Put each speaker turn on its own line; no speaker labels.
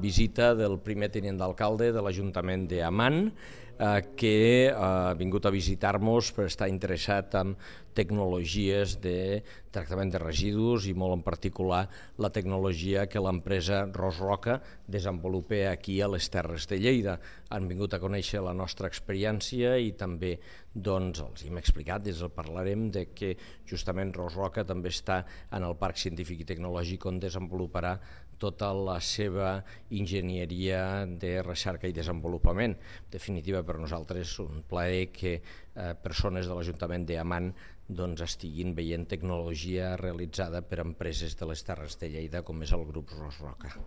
visita del primer tinent d'alcalde de l'Ajuntament d'Amman, que ha vingut a visitar-nos per estar interessat en tecnologies de tractament de residus i molt en particular la tecnologia que l'empresa Ros Roca desenvolupa aquí a les Terres de Lleida. Han vingut a conèixer la nostra experiència i també els hem explicat, parlarem de que justament Ros Roca també està en el Parc Científic i Tecnològic on desenvoluparà tota la seva enginyeria de recerca i desenvolupament. En definitiva, per nosaltres és un plaer que persones de l'Ajuntament d'Amman estiguin veient tecnologia realitzada per empreses de les Terres de Lleida com és el grup Ros Roca.